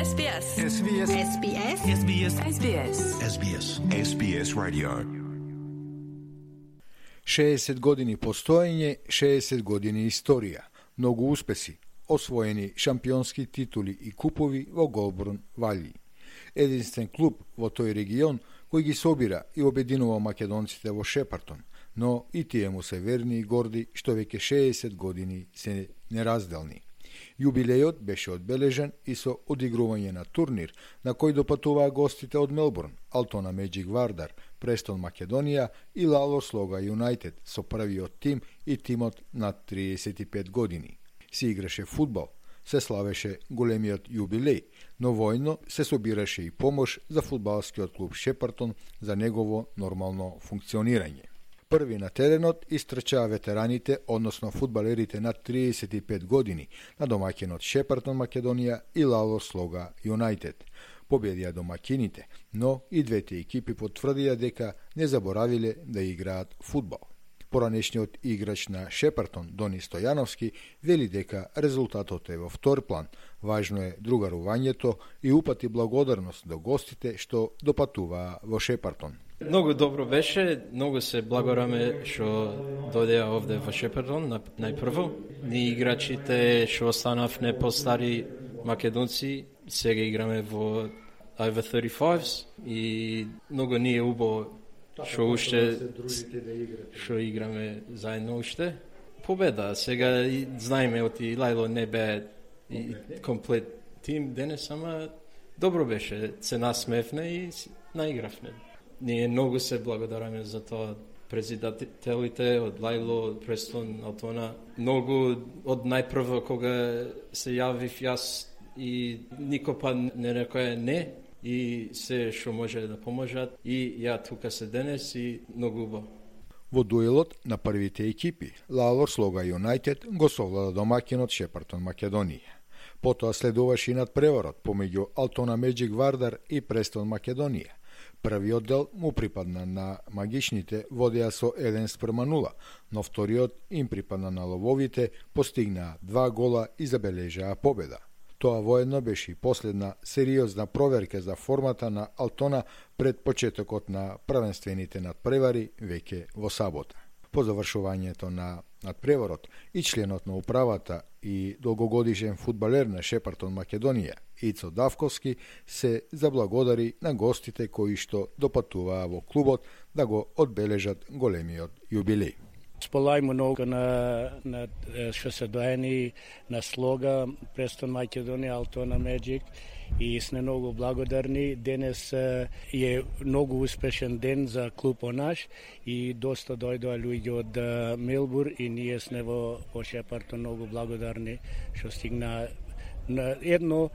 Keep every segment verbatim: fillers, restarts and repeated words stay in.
Ес Би Ес. Ес Би Ес. Ес Би Ес. Ес Би Ес. Ес Би Ес. Ес Би Ес. Ес Би Ес Radio. šezdeset godini postojenje, šezdeset godini istorija, mnogo uspesi, osvojeni šampionski tituli i kupovi во Голборн Валји. Единствен клуб во тој регион кој ги собира и обединува македонците во Шепартон, но и тие му се верни и горди што веќе шездесет години се неразделни. Јубилејот беше одбележен и со одигрување на турнир на кој допатуваа гостите од Мелбурн, Алтона Меджик Вардар, Престон Македонија и Лало Слога Юнајтед со првиот тим и тимот над триесет и пет години. Се играше фудбал, се славеше големиот јубилеј, но војно се собираше и помош за фудбалскиот клуб Шепартон за негово нормално функционирање. Први на теренот истрчаа ветераните, односно фудбалерите над триесет и пет години на домаќинот Шепартон Македонија и Лало Слога Юнајтед. Победија домакините, но и двете екипи потврдија дека не заборавиле да играат фудбал. Поранешниот играч на Шепартон, Дони Стојановски, вели дека резултатот е во втор план. Важно е другарувањето и упати благодарност до гостите што допатуваа во Шепартон. Многу добро беше, многу се благодараме што дојдеа овде во Шепартон најпрво. Ние играчите што останавме постари македонци, сега играме во over thirty-fives и многу ни е убаво што уште што играме заедно уште. Победа, сега знаеме оти Лајло не бе и комплет тим денес, ама добро беше, се насмевне и наигравме. Ние многу се благодараме за тоа председателите од Лајло, од Престон, Алтона. Многу од најпрво кога се јавив јас и никој па не рекоја не и се што може да поможат и ја тука се денес и многу убаво. Во дуелот на првите екипи, Лало Слога Юнајтед го совлада домакинот Шепартон Македонија. Потоа следуваше и надпреварот помеѓу Алтона Меджик Вардар и Престон Македонија. Првиот дел му припадна на магичните, водеа со еден спрема нула, но вториот им припадна на лововите, постигнаа два гола и забележаа победа. Тоа воедно беше и последна сериозна проверка за формата на Алтона пред почетокот на првенствените надпревари веќе во сабота. По завршувањето на надпреварот и членот на управата и долгогодишен фудбалер на Шепартон Македонија Ицо Давковски се заблагодари на гостите кои што допатуваа во клубот да го одбележат големиот јубилеј. Сполајмо многу на, на што се доени на Слога, Престон Македонија, Алтона Меджик и сме многу благодарни. Денес е многу успешен ден за клубот наш и доста дојдоа луѓе од Мелбур и ние сме во, во Шепартон многу благодарни што стигна на едно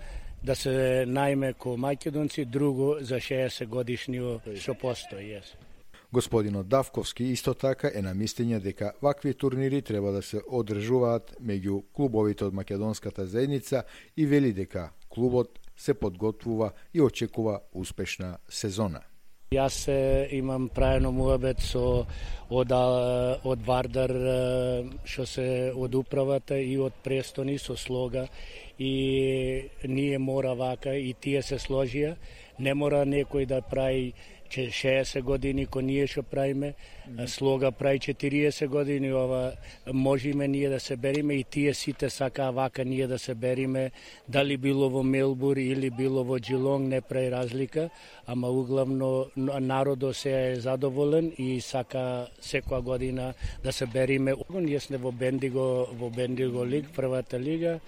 да се најме ко македонци, друго за шеесет годишниот што постои. Yes. Господинот Давковски исто така е на мислење дека вакви турнири треба да се одржуваат меѓу клубовите од македонската заедница и вели дека клубот се подготвува и очекува успешна сезона. Јас имам праено муабет со од, од Вардар, што се од управата и од Престони со Слога и ние мора вака и тие се сложија. Не мора некој да прави шеесет години ко ние што правиме, Слога прави четириесет години, ова можеме ние да се бериме и тие сите сакаа вака ние да се бериме, дали било во Мелбур или било во Джилонг, не прави разлика, ама углавно народот се е задоволен и сака секоја година да се бериме. Ние сме во Бендиго, во Бендиго лиг, првата лига,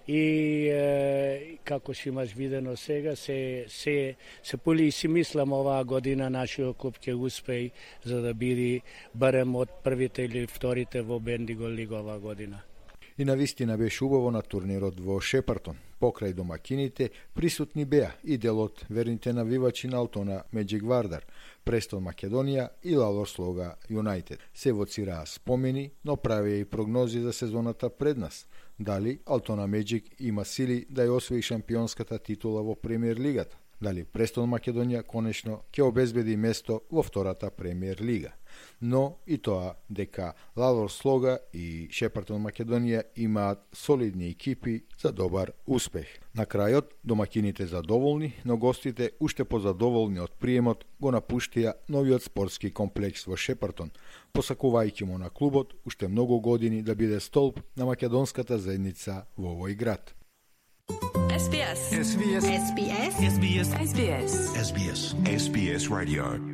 и е, како што имаш видено сега, се, се, се поли и си мислам оваа година нашиот клуб ќе успеи за да биде барем од првите или вторите во Бендиго лига оваа година. И навистина беше убаво на турнирот во Шепартон. Покрај домакините присутни беа и делот верните навивачи на Алтона Меджик Вардар, Престон Македонија и Лало Слога Юнајтед. Се воцираа спомени, но правеа и прогнози за сезоната пред нас. Дали Алтона Меджик има сили да ја освои шампионската титула во премиер лигата? дали Престон Македонија конечно ќе обезбеди место во втората премиер лига. Но и тоа дека Лавор Слога и Шепартон Македонија имаат солидни екипи за добар успех. На крајот, домакините задоволни, но гостите уште позадоволни од приемот го напуштија новиот спортски комплекс во Шепартон, посакувајќи му на клубот уште многу години да биде столб на македонската заедница во овој град. S B S. S B S. S B S. S B S. S B S. S B S Radio.